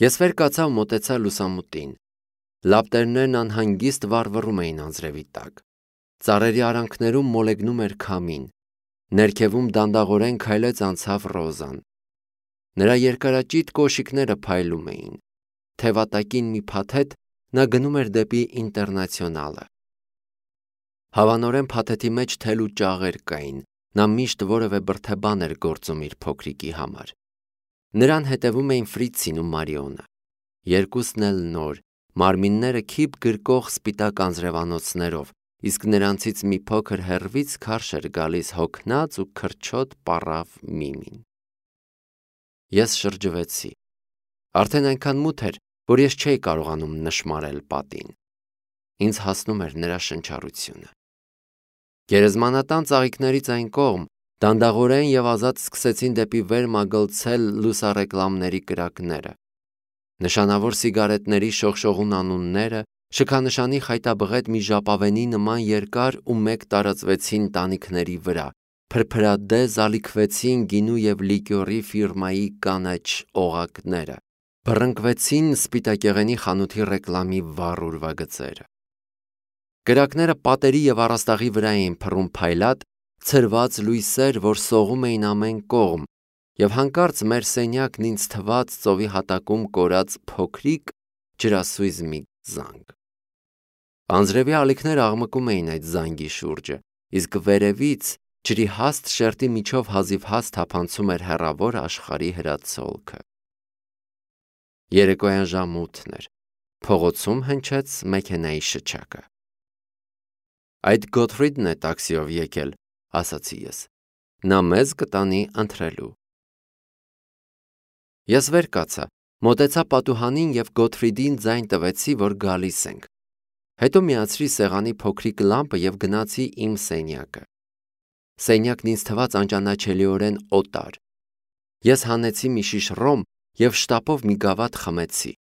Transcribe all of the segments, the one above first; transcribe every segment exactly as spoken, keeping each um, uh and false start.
Ես վեր կացա ու մոտեցա լուսամուտին։ Լապտերներն անհանգիստ վառվռում էին անձրևի տակ։ Ծառերի արանքներում մոլեգնում էր քամին։ Ներքևում դանդաղորեն քայլեց անցավ Ռոզան։ Նրա երկարաճիտ կոշիկները փայլում էին։ Թևատակին մի փաթեթ նա գնում էր դեպի Ինտերնացիոնալը։ Հավանորեն փաթեթի մեջ թել ու ճաղեր կային։ Նա միշտ որևէ բրդեբան էր գործում իր փոքրիկի համար։ Նրան հետևում էին Ֆրիցին ու Մարիոնը։ Երկուսն էլ նոր, մարմինները քիփ գրկող սպիտակ անձրևանոցներով, իսկ նրանցից մի փոքր հեռվից քարշ էր գալիս հոգնած ու քրչոտ պառավ Միմին։ Ես շրջվեցի։ Արդեն այնքան մութ էր, որ ես չէի կարողանում նշմարել պատին։ Ինձ հասնում էր նրա շնչառությունը։ Գերեզմանատան ծաղիկներից այն կողմ դանդաղորեն եւ ազատ սկսեցին դեպի վեր մագլցել լուսառեկլամների կրակները։ Նշանավոր սիգարետների շողշողուն անունները, շքանշանի խայտաբղետ մի ժապավենի նման երկար ու մեկ տարածվեցին տանիքների վրա, փրփրադեզ ալիքվեցին գինու եւ լիկյորի ֆիրմայի կանաչ օղակները, բռնկվեցին սպիտակեղենի խանութի ռեկլամի վառ ուրվագծերը։ Կրակները պատերի եւ առաստաղի վրա էին փռում փայլատ, ցրված լույսեր, որ սողում էին ամեն կողմ, եւ հանկարծ մեր սենյակն ինձ թվաց ծովի հատակում կորած փոքրիկ ջրասույզ մի զանգ։ Անձրևի ալիքները աղմկում էին այդ զանգի շուրջը, իսկ վերևից ջրի հաստ շերտի միջով հազիվ հաստ թափանցում էր հեռավոր աշխարհի հրացոլքը։ Երեկոյան ժամը ութն էր։ Փողոցում հնչեց մեքենայի շչակը։ Այդ Գոթֆրիդն է տաքսիով եկել, ասացի ես։ Նա մեզ կտանի ընթրելու։ Ես վեր կացա, մոտեցա պատուհանին եւ Գոթֆրիդին ձայն տվեցի, որ գալիս ենք։ Հետո միացրի սեղանի փոքրիկ լամպը եւ գնացի իմ սենյակը։ Սենյակն ինձ թվաց անճանաչելիորեն օտար։ Ես հանեցի մի շիշ ռոմ եւ շտապով մի գավաթ խմեցի։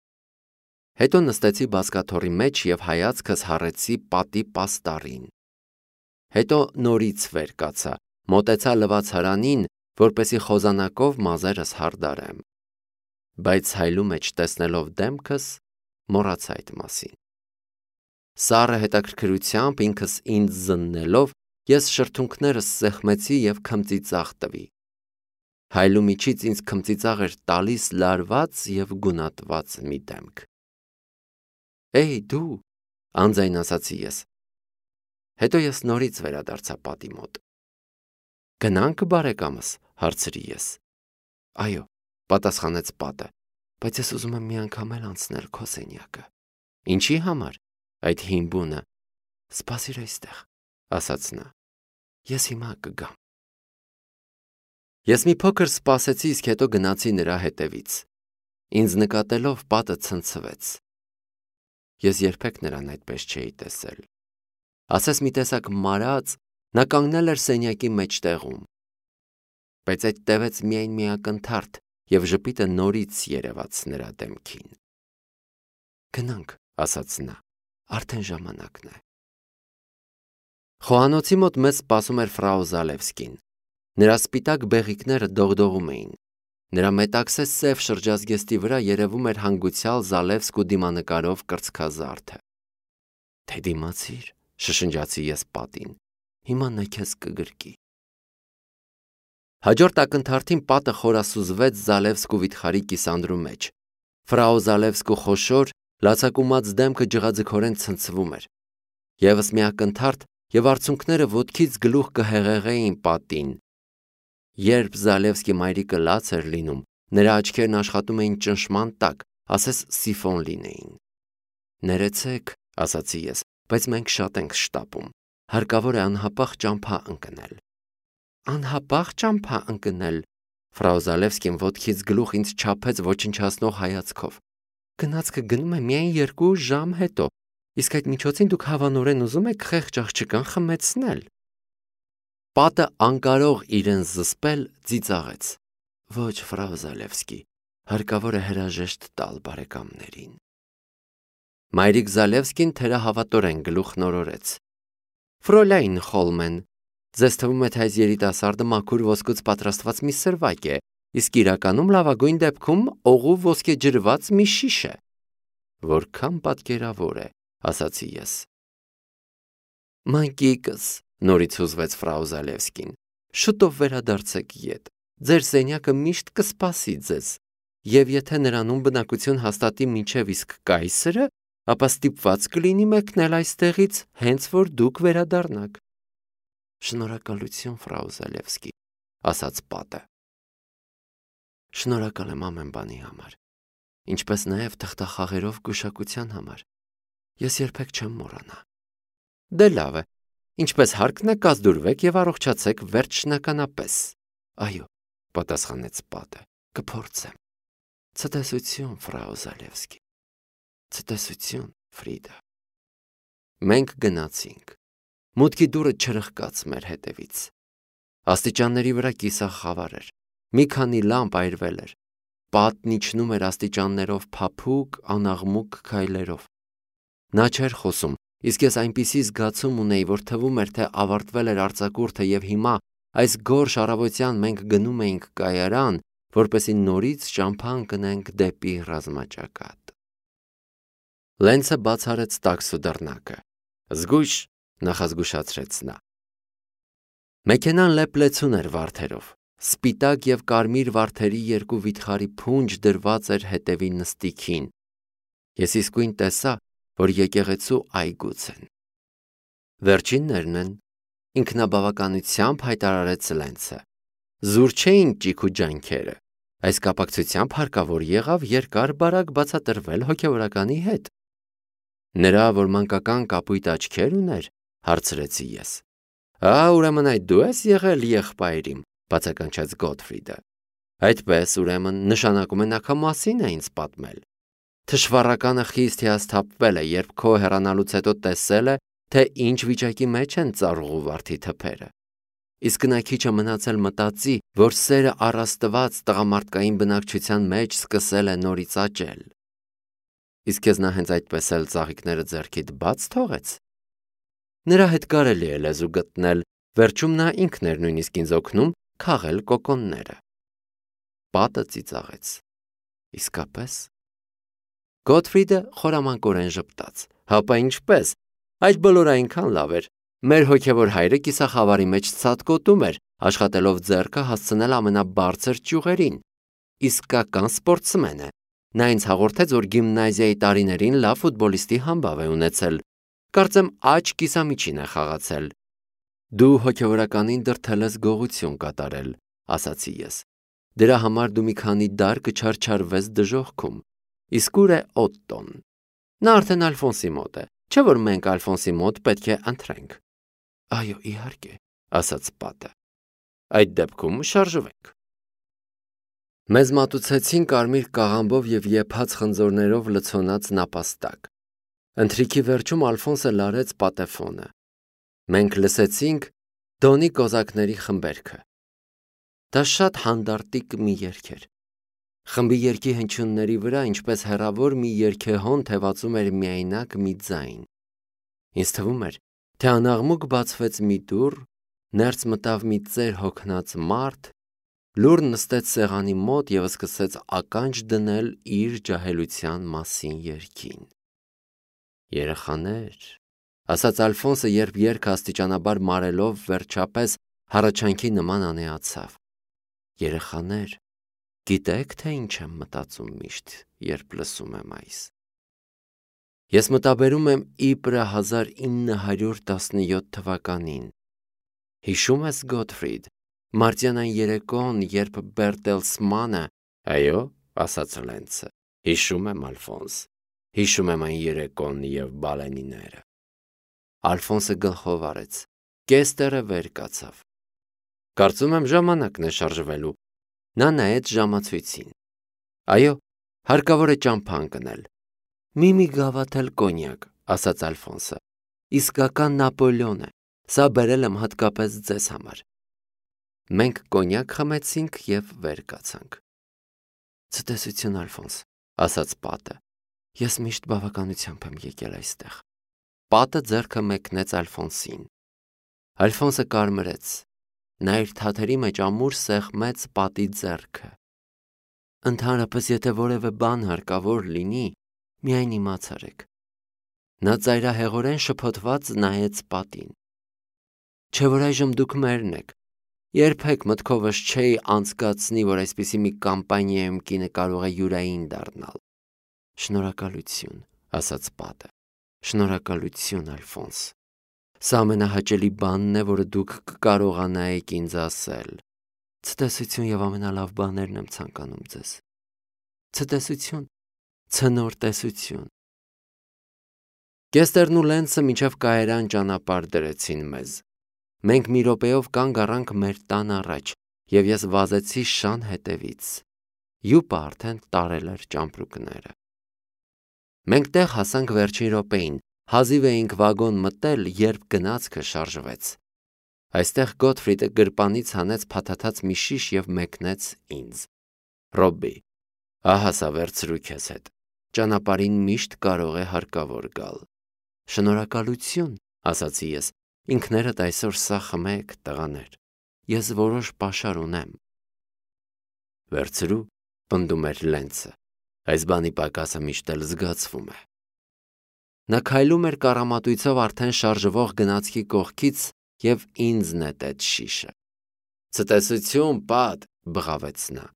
Հետո նստեցի բազկաթոռի մեջ եւ հայացքս հառեցի պատի պաստառին։ Հետո նորից վեր կացա, մոտեցա լվացարանին, որպեսի խոզանակով մազերս հարդարեմ։ Բայց հայլու մեջ տեսնելով դեմքս, մոռացա այդ մասին։ Սառը հետաքրքրությամբ ինքս ինձ զննելով, ես շրթունքներս սեղմեցի եւ քմծիծաղ տվի։ Հայլու միջից ինձ քմծիծաղ էր տալիս լարված եւ գունատված մի դեմք։ Էй դու, անձայն ասացի ես։ Հետո ես նորից վերադարձա պատի մոտ։ Գնանք բարեկամս, հարցրի ես։ Այո, պատասխանեց պատը, բայց ես ուզում եմ մի անգամ էլ անցնել քո սենյակը։ Ինչի համար, այդ հին բունը։ Սպասիր այստեղ, ասաց նա։ Ես հիմա կգամ։ Ես մի փոքր սպասեցի, իսկ հետո գնացի նրա հետևից։ Ինձ նկատելով պատը ցնցվեց։ Ես երբեք նրան այդպես չէի տեսել։ Ասես մի տեսակ մարած, նա կանգնել էր սենյակի մեջտեղում։ Բայց այդ տևեց միայն մի ակնթարթ, եւ ժպիտը նորից երևաց նրա դեմքին։ Գնանք, ասաց նա, արդեն ժամանակն է։ Խոհանոցի մոտ մեզ սպասում էր ֆրау Զալևսկին։ Նրա սպիտակ բեղիկները դողդողում էին։ Նրա մետաքսե սև շրջազգեստի վրա երևում էր հանգուցյալ Զալևսկու դիմանկարով կրծքազարդը։ Թե դիմացիր, շշնջացի ես պատին։ Հիմա նա քեզ կգրկի։ Հաջորդ ակնթարթին պատը խորասուզվեց Զալևսկու վիթխարի կիսանդրու մեջ։ Ֆրау Զալևսկու խոշոր, լացակումած դեմքը ջղաձգորեն ցնցվում էր։ Եվս մի ակնթարթ եւ արցունքները ոտքից գլուխ կհեղեղեին պատին։ Երբ Զալևսկի մայրիկը լաց էր լինում, նրա աչքերն աշխատում էին ճնշման տակ, ասես սիֆոն լինեին։ Ներեցեք, ասացի ես, բայց մենք շատ ենք շտապում։ Հարկավոր է անհապաղ ճամփա ընկնել։ Անհապաղ ճամփա ընկնել։ Ֆրау Զալևսկին ոտքից գլուխ ինձ չափեց ոչնչացնող հայացքով։ Գնացքը գնում է միայն երկու ժամ հետո, իսկ այդ միջոցին դուք հավանորեն ուզում եք խեղճ աղջկան խմեցնել։ Պատը անկարող իրեն զսպել ծիծաղեց։ Ոչ, ֆրау Զալևսկի, հարկավոր է հրաժեշտ տալ բարեկամներին։ Մայրիկ Զալևսկին թերահավատորեն գլուխ նորորեց։ Ֆրոլայն Խոլմեն, ձեզ թվում է թե այս երիտասարդը մաքուր ոսկուց պատրաստված մի սրվակ է, իսկ իրականում լավագույն դեպքում օղու ոսկե ջրված մի շիշ է։ Որքան պատկերավոր է, ասացի ես։ Մանկիկս, նորից հուզվեց ֆրау Զալևսկին, շուտով վերադարձեք ետ։ Ձեր սենյակը միշտ կսպասի ձեզ, եւ եթե նրանում բնակություն հաստատի մինչև իսկ կայսրը, ապա ստիպված կլինի մեկնել այստեղից, հենց որ դուք վերադառնաք։ Շնորհակալություն, ֆրау Զալևսկի, ասաց պատը։ Շնորհակալ եմ ամեն բանի համար, ինչպես նաև թղթախաղերով գուշակության համար։ Ես երբեք չեմ մոռանա։ Դե լավ է, ինչպես հարկն է, կազդուրվեք եւ առողջացեք վերջնականապես։ Այո, պատասխանեց պատը, կփորձեմ։ Ցտեսություն, ֆրау Զալևսկի։ Ցտեսություն, Ֆրիդա։ Մենք գնացինք։ Մուտքի դուռը չրխկաց մեր հետևից։ Աստիճանների վրա կիսախ խավար էր։ Մի քանի լամպ այրվել էր։ Պատն իջնում էր աստիճաններով փափուկ, անաղմուկ քայլերով։ Նա չէր խոսում, իսկ ես այնպիսի զգացում ունեի, որ թվում էր, թե ավարտվել էր արձակուրդը եւ հիմա այս գորշ առավոտյան մենք գնում էինք կայարան, որպեսզի նորից ճամփա ընկնենք դեպի ռազմաճակատ։ Լենցը բացարեց տաքսու դռնակը։ Զգույշ, նախազգուշացրեց նա։ Մեքենան լեփլեցուն էր վարդերով։ Սպիտակ եւ կարմիր վարդերի երկու վիթխարի փունջ դրված էր հետևի նստիքին։ Ես իսկույն տեսա, որ եկեղեցու այգուց են։ Վերջիններն են, ինքնաբավականությամբ հայտարարեց Լենցը։ Զուր չէին ճիք ու ջանքերը։ Այս կապակցությամբ հարկավոր եղավ երկար-բարակ բացատրվել հոգևորականի հետ։ Նրա, որ մանկական կապույտ աչքեր ուներ, հարցրեցի ես։ Ա, ուրեմն այդ դու ես եղել եղբայրիմ, բացականչեց Գոթֆրիդը։ Այդպես, ուրեմն, նշանակում է նա քո մասին է ինձ պատմել։ Թշվառականը խիստ հիասթափվել է, երբ քո հեռանալուց հետո տեսել է, թե ինչ վիճակի մեջ են ծառուղու վարդի թփերը։ Իսկ նա քիչ է մնացել մտածի, որ սերը առաստված տղամարդկային բնակչության մեջ սկսել է նորից աճել։ Իսկ քեզ նա հենց այդպես էլ ծաղիկները ձեռքիդ բաց թողեց։ Նրա հետ կարելի է լեզու գտնել, վերջում նա ինքն էր նույնիսկ ինձ օգնում քաղել կոկոնները։ Պատը ծիծաղեց։ Իսկապես։ Գոթֆրիդը խորամանկորեն ժպտաց։ Հապա ինչպես։ Այդ բոլորը այնքան լավ էր։ Մեր հոգևոր հայրը կիսախավարի մեջ ցատկոտում էր, աշխատելով ձեռքը հասցնել ամենաբարձր ճյուղերին։ Իսկական սպորտսմեն է։ Նա ինձ հաղորդեց, որ գիմնազիայի տարիներին լավ ֆուտբոլիստի համբավ է ունեցել։ Կարծեմ աջ կիսամիջին է խաղացել։ Դու հոգևորականին դրդել ես գողություն կատարել, ասացի ես։ Դրա համար դու մի քանի դար կչարչարվես դժոխքում։ Իսկ ուր է Օտտոն։ Նա արդեն Ալֆոնսի մոտ է, չէ՞ որ մենք Ալֆոնսի մոտ պետք է ընթրենք։ Այո, իհարկե, ասաց պատը։ Այդ դեպքում շարժվենք։ Մեզ մատուցեցին կարմիր կաղամբով եւ եփած խնձորներով լցոնած նապաստակ։ Ընթրիքի վերջում Ալֆոնսը լարեց պատեֆոնը։ Մենք լսեցինք Դոնի կոզակների խմբերքը։ Դա շատ հանդարտիկ մի երգ էր։ Խմբի երգի հնչյունների վրա, ինչպես հեռավոր մի երգեհոն թևածում էր միայնակ մի ձայն։ Ինձ թվում էր, թե անաղմուկ բացվեց մի դուռ, ներս մտավ մի ծեր հոգնած մարդ, լուռ նստեց սեղանի մոտ եւ սկսեց ականջ դնել իր ջահելության մասին երգին։ Երեխաներ, ասաց Ալֆոնսը, երբ երգը աստիճանաբար մարելով վերջապես հառաչանքի նման անեացավ։ Երեխաներ, գիտեք, թե ինչ եմ մտածում միշտ, երբ լսում եմ այս։ Ես մտաբերում եմ իբրը հազար ինը հարյուր տասնյոթ թվականին։ Հիշում ես, Գոթֆրիդ, մարտյան այն երեկոն, երբ Բերտելսմանը, այո, ասաց Լենցը, հիշում եմ, Ալֆոնս, հիշում եմ այն երեկոն եւ բալենիները։ Ալֆոնսը գլխով արեց, կեստերը վեր կացավ։ Կարծում եմ ժամանակն է շարժվելու։ Նա նայեց ժամացույցին։ Այո, հարկավոր է ճամփա ընկնել։ Մի-մի գավաթել կոնյակ, ասաց Ալֆոնսը։ Իսկական Նապոլեոն է։ Սա բերել եմ հատկապես ձեզ համար։ Մենք կոնյակ խմեցինք եւ վեր կացանք։ Ցտեսություն, Ալֆոնս, ասաց պատը։ Ես միշտ բավականությամբ եմ եկել այստեղ։ Պատը ձեռքը մեկնեց Ալֆոնսին։ Ալֆոնսը կարմրեց։ Նա իր թաթերի մեջ ամուր սեղմեց պատի ձեռքը։ Ընդհանրապես եթե որևէ բան հարկավոր լինի, միայն իմացարեք։ Նա ծայրահեղորեն շփոթված նայեց պատին։ Չէ՞ որ այժմ դուք մերն եք։ Երբեք մտքովս չէի անցկացնի, որ այսպիսի մի կամպանիայում կինը կարող է յուրային դառնալ։ Շնորհակալություն, ասաց պատը։ Շնորհակալություն, Ալֆոնս։ Սա ամենահաճելի բանն է, որը դուք կկարողանայիք ինձ ասել։ Ցտեսություն եւ ամենալավ բաներն եմ ցանկանում ձեզ։ Ցտեսություն, ցնոր տեսություն։ Կեստերն ու Լենսը մինչև Կայարան ճանապարհ դրեցին մեզ։ Մենք մի րոպեով կանգ առանք մեր տան առաջ, եւ ես վազեցի շան հետևից։ Յուպը արդեն տարել էր ճամպրուկները։ Մենք տեղ հասանք վերջին րոպեին, հազիվ էինք վագոն մտել, երբ գնացքը շարժվեց։ Այստեղ Գոթֆրիդը գրպանից հանեց փաթաթած մի շիշ եւ մեկնեց ինձ։ Ռոբբի, ահա սա վերցրու քեզ հետ։ Ճանապարհին միշտ կարող է հարկավոր գալ։ Շնորհակալություն, ասացի ես, ինքներդ այսօր սա խմեք, տղաներ։ Ես որոշ պաշար ունեմ։ Վերցրու, պնդում էր Լենսը։ Այս բանի պակասը միշտ էլ զգացվում է։ Նա քայլում էր կառամատույցով արդեն շարժվող գնացքի կողքից եւ ինձ նետեց շիշը։ Ցտեսություն, պատ, բղավեց նա։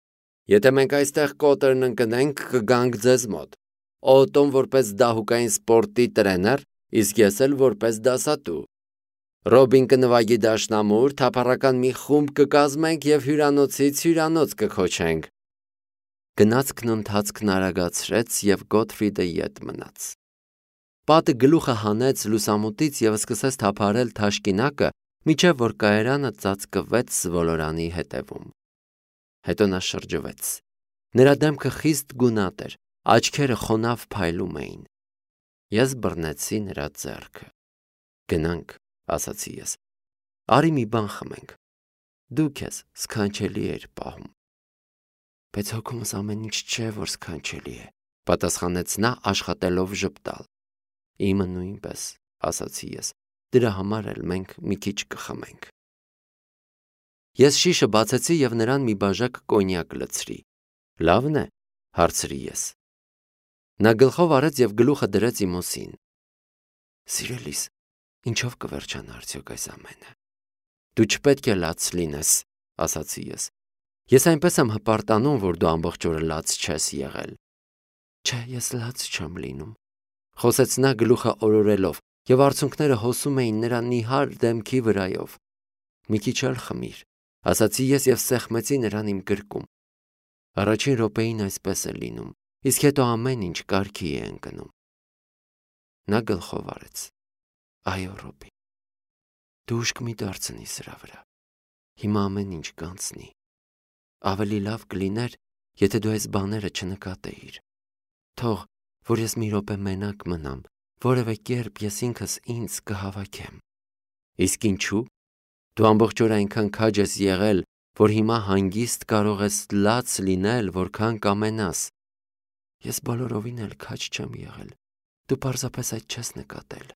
Եթե մենք այստեղ կոտրն ընկնենք, կգանք ձեզ մոտ։ Օտոն որպես դահուկային սպորտի տրեներ, իսկ ես էլ որպես դասատու։ Ռոբին կնվագի դաշնամուր, թափառական մի խումբ կկազմենք եւ հյուրանոցից հյուրանոց կքոչենք։ Գնացքն ընթացքն արագացրեց եւ Գոթֆրիդը ետ մնաց։ Պատը գլուխը հանեց լուսամուտից եւ սկսեց թափարել թաշկինակը, միջև որ Կայարանը ծածկվեց ոլորանի հետևում։ Հետո նա շրջվեց։ Նրա դեմքը խիստ գունատ էր, աչքերը խոնավ փայլում էին։ Ես բռնեցի նրա ձեռքը։ Գնանք, ասացի ես։ Արի մի բան խմենք։ Դու քեզ սքանչելի էր պահում։ Բայց հոգումս ամեն ինչ չէ, որ սքանչելի է, պատասխանեց նա աշխատելով ժպտալ։ Իմը նույնպես, ասացի ես, դրա համար էլ մենք մի քիչ կխմենք։ Ես շիշը բացեցի եւ նրան մի բաժակ կոնյակ լցրի։ Լավն է, հարցրի ես։ Նա գլխով արեց եւ գլուխը դրեց իմ ուսին։ Սիրելիս, ինչով կվերջանա արդյոք այս ամենը։ Դու չպետք է լաց լինես, ասացի ես։ Ես այնպես եմ հպարտանում, որ դու ամբողջ օրը լաց չես եղել։ Չէ, ես լաց չեմ լինում, խոսեց նա գլուխը օրորելով, եւ արցունքները հոսում էին նրա նիհար դեմքի վրայով։ Մի քիչ էլ խմիր, ասացի ես եւ սեղմեցի նրան իմ գրկում։ Առաջին րոպեին այսպես է լինում, իսկ հետո ամեն ինչ կարգի է ընկնում։ Նա գլխով արեց։ Այո, Ռոբի։ Դու ուշք մի դարձնի սրա վրա։ Հիմա ամեն ինչ կանցնի։ Ավելի լավ կլիներ, եթե դու այս բաները չնկատեիր։ Թող, որ ես մի րոպե մենակ մնամ, որևէ կերպ ես ինքս ինձ կհավաքեմ։ Իսկ ինչու՞։ Դու ամբողջ օր այնքան քաջ ես եղել, որ հիմա հանգիստ կարող ես լաց լինել, որքան կամենաս։ Ես բոլորովին էլ քաջ չեմ եղել։ Դու պարզապես այդ չես նկատել։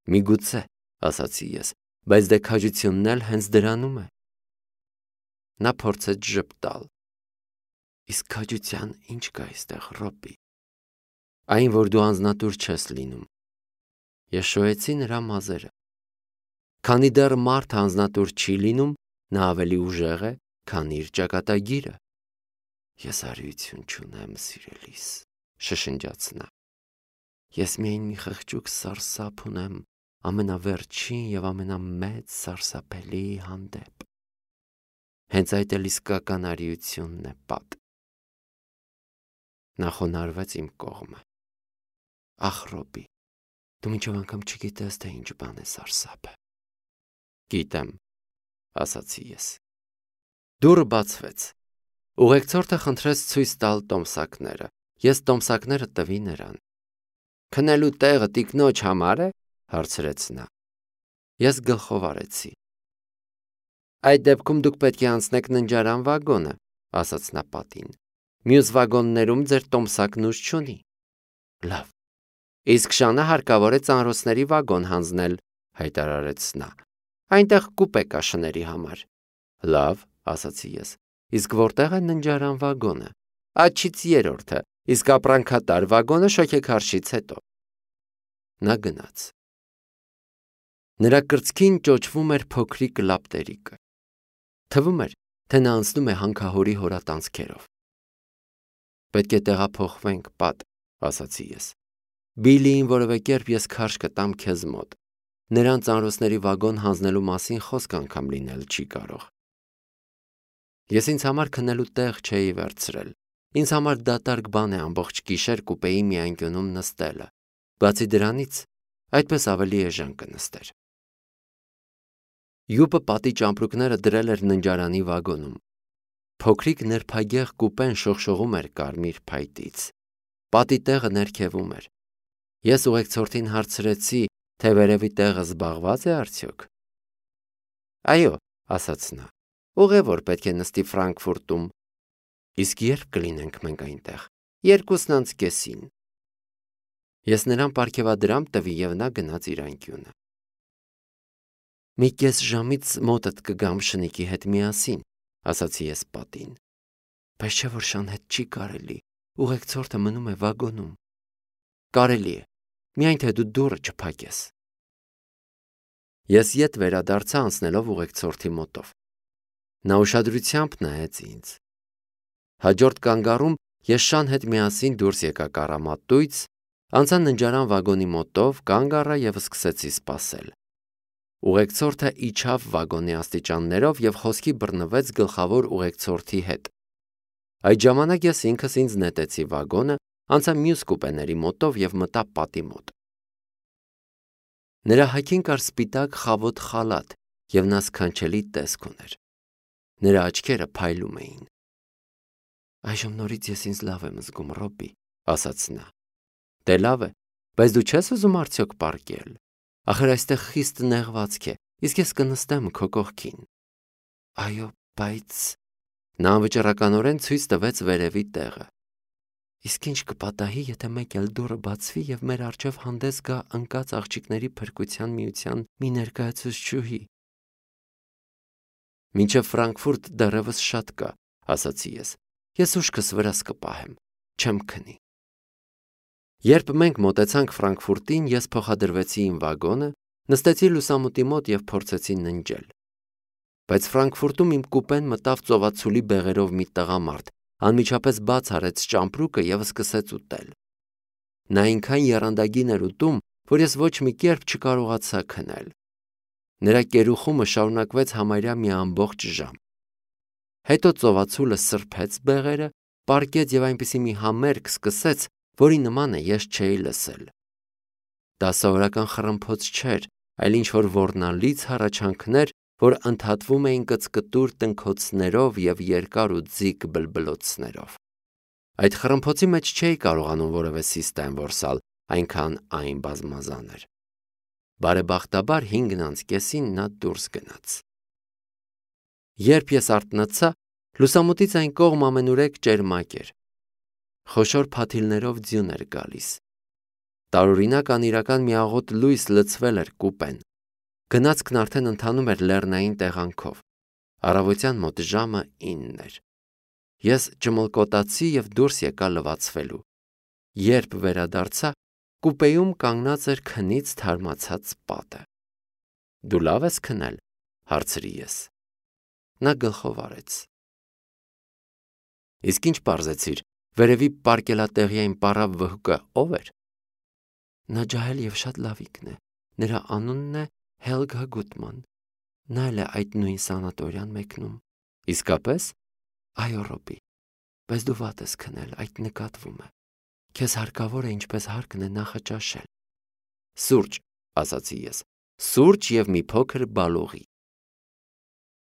Միգուցե, ասացի ես, բայց դե քաջությունն էլ հենց դրանում է։ Նա փորձեց ժպտալ։ Իսկ քաջության ինչ կա այստեղ, Ռոբի։ Այն, որ դու անձնատուր չես լինում։ Ես շոյեցի նրա մազերը։ Քանի դեռ մարդ անձնատուր չի լինում, նա ավելի ուժեղ է, քան իր ճակատագիրը։ Ես արիություն չունեմ, սիրելիս, շշնջաց նա։ Ես միայն մի խղճուկ սարսափ ունեմ ամենավերջին եւ ամենամեծ սարսափելի հանդեպ։ Հենց այդ էլ իսկական արիությունն է, պատ։ Նա խոնարհվեց իմ կողմը։ Ախ, Ռոբի, դու մինչև անգամ չգիտես, թե ինչ բան է սարսափը։ Գիտեմ, ասացի ես։ Դուռը բացվեց։ Ուղեկցորդը խնդրեց ցույց տալ տոմսակները։ Ես տոմսակները տվի նրան։ Քնելու տեղը տիկնոջ համար է, հարցրեց նա։ Ես գլխով արեցի։ Այդ դեպքում դուք պետք է անցնեք ննջարան վագոնը, ասաց նա պատին։ Մյուս վագոններում ձեր տոմսակն ուժ չունի։ Լավ։ Իսկ Շանը հարկավոր է ծանրոցների վագոն հանձնել, հայտարարեց նա։ Այնտեղ կուպե կա շների համար։ Լավ, ասացի ես։ Իսկ որտեղ է ննջարան վագոնը։ Աչից երրորդը, իսկ ապրանքատար վագոնը շոգեքարշից հետո։ Նա գնաց։ Նրա կրծքին ճոճվում էր փոքրիկ լապտերիկը։ Թվում էր, թե նա անցնում է հանքահորի հորատանցքերով։ Պետք է տեղափոխվենք, պատ, ասացի ես։ Բիլիին որևէ կերպ ես քարշ կտամ քեզ մոտ։ Նրան ծանրոցների վագոն հանձնելու մասին խոսք անգամ լինել չի կարող։ Ես ինձ համար քնելու տեղ չէի վերցրել։ Ինձ համար դատարկ բան է ամբողջ գիշեր կուպեի մի անկյունում նստելը։ Բացի դրանից, այդպես ավելի էժան կնստեր։ Յուպը պատի ճամպրուկները դրել էր ննջարանի վագոնում։ Փոքրիկ նրբագեղ կուպեն շողշողում էր կարմիր փայտից։ Պատի տեղը ներքևում էր։ Ես ուղեկցորդին հարցրեցի, թե վերևի տեղը զբաղված է արդյոք։ Այո, ասաց նա, ուղևոր պետք է նստի Ֆրանկֆուրտում։ Իսկ երբ կլինենք մենք այնտեղ։ Երկուսն անց կեսին։ Ես նրան պարգևադրամ տվի և նա գնաց իր անկյունը։ Մի կես ժամից մոտդ կգամ շնիկի հետ միասին, ասացի ես պատին։ Բայց չէ որ շան հետ չի կարելի, ուղեկցորդը մնում է վագոնում։ Կարելի է, միայն թե դու դուռը չփակես։ Ես ետ վերադարձա անցնելով ուղեկցորդի մոտով։ Նա ուշադրությամբ նայեց ինձ։ Հաջորդ կանգառում ես շան հետ միասին դուրս եկա կառամատույց, անցա ննջարան վագոնի մոտով, կանգ առա և սկսեցի սպասել։ Ուղեկցորդը իջավ վագոնի աստիճաններով և խոսքի բռնվեց գլխավոր ուղեկցորդի հետ։ Այդ ժամանակ ես ինքս ինձ նետեցի վագոնը, անցա մյուս կուպեների մոտով և մտա պատի մոտ։ Նրա հագին կար սպիտակ խավոտ խալաթ, և նա սքանչելի տեսք ուներ։ Նրա աչքերը փայլում էին։ Այժմ նորից ես ինձ լավ եմ զգում, Ռոբի, ասաց նա։ Դե լավ է, բայց դու չես ուզում արդյոք պառկել։ Ախր այստեղ խիստ նեղվածք է, իսկ ես կնստեմ քո կողքին։ Այո, բայց… Նա անվճռականորեն ցույց տվեց վերևի տեղը։ Իսկ ինչ կպատահի, եթե մեկ էլ դուռը բացվի և մեր առջև հանդես գա ընկած աղջիկների փրկության միության մի ներկայացուցչուհի։ Մինչև Ֆրանկֆուրտ դեռևս շատ կա, ասացի ես։ Ես ուշքս վրաս կպահեմ, չեմ քնի։ Երբ մենք մոտեցանք Ֆրանկֆուրտին, ես փոխադրվեցի իմ վագոնը, նստեցի լուսամուտի մոտ և փորձեցի ննջել։ Բայց Ֆրանկֆուրտում իմ կուպեն մտավ ծովածուլի բեղերով մի տղամարդ, անմիջապես բաց արեց ճամպրուկը և սկսեց ուտել։ Նա այնքան եռանդագին էր ուտում, որ ես ոչ մի կերպ չկարողացա քնել։ Նրա կերուխումը շարունակվեց համարյա մի ամբողջ ժամ։ Հետո ծովածուլը սրբեց բեղերը, պառկեց և այնպիսի մի համերգ սկսեց, որի նմանը ես չէի լսել։ Դա սովորական խռմփոց չէր, այլ ինչ-որ ոռնալից հառաչանքներ, որ ընդհատվում էին կծկտուր տնքոցներով և երկար ու ձիգ բլբլոցներով։ Այդ խռմփոցի մեջ չէի կարողանում որևէ սիստեմ որսալ, այնքան այն բազմազան էր։ Բարեբախտաբար հինգն անց կեսին նա դուրս գնաց։ Երբ ես արթնացա, լուսամուտից այն կողմ ամենուրեք ճերմակ էր։ Խոշոր փաթիլներով ձյուն էր գալիս։ Տարօրինակ անիրական մի աղոտ լույս լցվել էր կուպեն։ Գնացքն արդեն ընթանում էր լեռնային տեղանքով։ Առավոտյան մոտ ժամը ինն էր։ Ես ճմլկոտացի և դուրս եկա լվացվելու։ Երբ վերադարձա, կուպեում կանգնած էր քնից թարմացած պատը։ Դու լավ ես քնել, հարցրի ես։ Նա գլխով արեց։ Իսկ ինչ պարզեցիր, վերևի պարկելատեղիային պառավ վհուկը ով էր։ Նա ջահել և շատ լավիկն է։ Նրա անունն է Հելգա Գուտման։ Նա էլ է այդ նույն սանատորիան մեկնում։ Իսկապես։ Այո, Ռոբի, բայց դու վատ ես քնել, այդ նկատվում է։ Քեզ հարկավոր է ինչպես հարկն է նախաճաշել։ Սուրճ, ասացի ես, սուրճ և մի փոքր բալողի։